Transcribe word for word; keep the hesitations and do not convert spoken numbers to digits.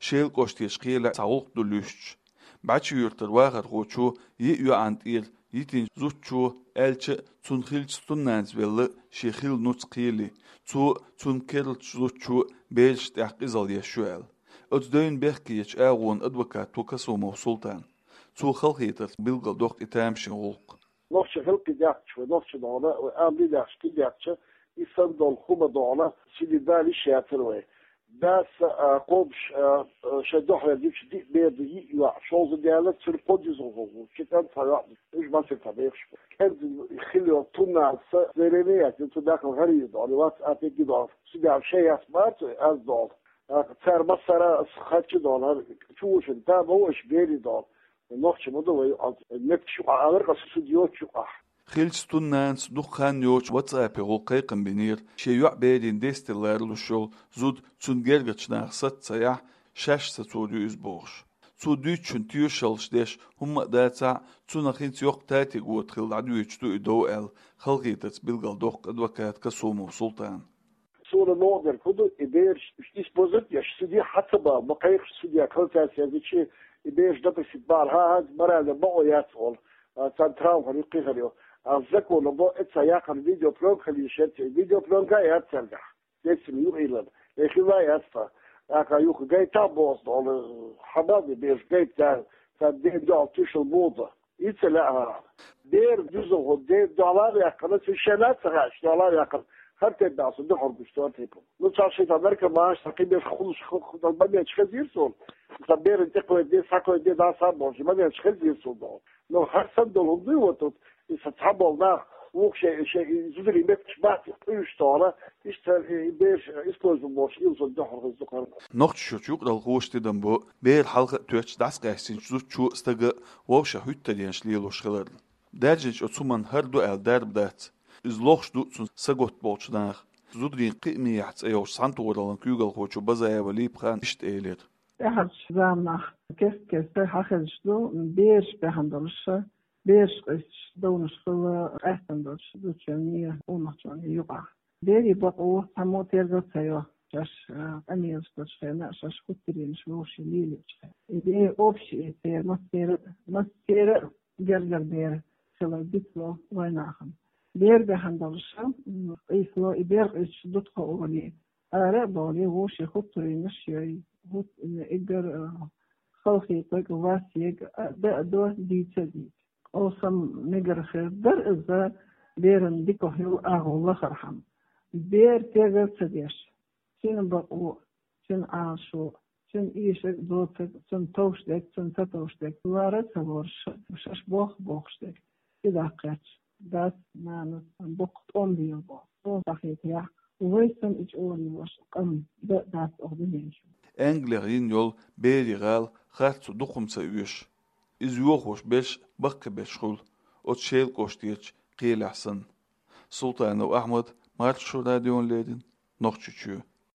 Шелан кӀоштарчу кхелехь цхьа гӀуллакх ду луьстуш. БӀачи-Юьртара вахархочо йиъ йоӀана тӀера йитинчу зудчо, аьлча а, цунна хиллачу цу нанас велла шен хилла нуц кхеле, цо а, цунна керлачу зудчо а берашна тӀехь къизалла еш ю аьлла. Оцу девнан бехкечу агӀонан адвокат ву Касумов Султан. Цо халахетарца билгалдоккху и тамашийна гӀуллакх. Нохчийн хелкхе даьхкича вай, нохчийн догӀана, вай амма дехаш кхин дехча, и санна долу хӀума догӀана, ши де дала йиш яцара вай. Дас а, кхобуш а, а, шайн дуьхьал дича диъ бер ду, йиъ йоӀ, шовзткъа даьлла, цуьнан кхо деза гӀуллакх, ши кӀант, цхьа йоӀ ду, уьш массеран цхьа бехаш бу. КӀентан хилла йолу цу нанас, Зелене яц, цу дахкал гӀарийна догӀана, вац а тегги догӀана. Цу дехьа шайн яц бац, аз догӀана. Цара массара а харча догӀана, чу вушина, да, ма ву аша берийн догӀана. Нохчий ма ду вай, метташ юкъахь алар, къа сан суд йоцуш юкъахь. Хиллачу цу нанас дукха хан йоцуш WhatsApp-е гӀуллакх кхайкхам бинера, шен йоӀ берийн дестар ларалуш йолу зуда цунна гергарчу наха саца ца яхь, шаьш сацор ю иза бохуш. Цо дуьйцучунна тоьшаллаш деш хӀумма а дацахь а, цунах хӀинца йоккха татиг вота хилла дӀадоьдуш ду и дов аьлла, халахетарца билгалдоккху адвокат Касумов Султан. Суна новкъа дерг хӀун ду, и бераш использовать еш, суде хьа ца бала, ма кхайкхаш суде, калцаьрца язычи, и бераш допросить бахьана, хӀан-хӀанз морально бакъо яц олу, а, царна травма хир ю, кхин хир ю. А законо бо, эца яккхар видеопленка хила йиш яц, и видеопленка а яц цаьргахь. Децим юкъа йиллина. Э, хила а яц тхан. ТӀаккха юха гайта а боху олу, хьан бан и бераш гайта, царна ден дуьхьал туьйсуш муха ду. И ца лаьа хӀара. Бер дуза хӀун, де, дӀалар яьккхина, цуьнан шена а ца хаьа, дӀалар яьккхина. ХӀара тӀе баьлла со дуьхьал гуш цо типа. Ну, цхьа шийтта наркоманаш, цхьа кхин беш хуьлуш ху-, ху-, дан моменташ хезира суна. Сан беран тӀе кхойде, схьакхойде, дӀа схьабохуш, моменташ хезира суна догӀу. Ну, хӀара санна долу хӀума дуй вот тут, и сан цхьаболу нах, вукху шайн, шайн, и зударий метташ бац, и къуьйсуш тохана, иштта, и, и бераш, э, использовать болуш, ил сан дуьхьал хеза дукхара. Нохчийчоьнан юкъаралхоша тидам бо, бер хьалха а тоьттуш дӀасакъаьстинчу зудчо а, стага а вовшах хӀуьттаренаш лелош хиларна. Даьржинчу оцу хӀуманна хӀара ду аьлла дарба дац. Иза лохуш ду цунна саготта болчу наха. Зударийн кхиамехь цӀе йолчу цхьаьнатохараллин куьйгалхочо Базаева Липхана иштта элира. ТӀаьхьарчу заманахь кест-кеста хьахезаш ду, бераш баьхна долуш, бераш къуьйсуш, довнаш хила къаьстина долуш зудчунний, къонахчунний юкъахь. Берийн бакъо цхьаммо тергал ца йо, шаьш, а, къамелаш долчу хенахь, шаьш хӀуттаренаш вовшийн лелийчу хенахь. И бер общий, и церан массеран а, массеран а гергара бер хилар дицло вайнахана. Бер баьхна долуш, м, къийсало, и бер къуьйсуш дутхо олий, ара а бовлий, вовшийн хӀуттаренаш йой, хӀут-, м, эггара, а, халахетарг, васерг, а, да а до, дийца а дийца. Къовсам мегар хир дара иза, беран дика хила агӀо лахархьама. Бер тергал ца деш, цуьнан бакъо, цуьнан Ӏалашо, цуьнан эшарг а, доцург а, цунна товш дерг а, цунна ца товш дерг а, лара а ца лоруш, шаьш боху бохуш дерг а, и даккхаьчча, дас, нанас боккха тӀом бийла боху. Суна ца хетарехь, вай санна и чӀогӀа лелош къам дан а дац оха дуьнен чу. Англехь йина йолу берийн гӀала харцо дукха хӀума ца оьшу. Иза йохош берш баккхийберш хуьлу, оцу Шелан кӀоштарчу кхелехь санна. Султанов Ахьмад, Маршо радиона леррина, Нохчийчоь.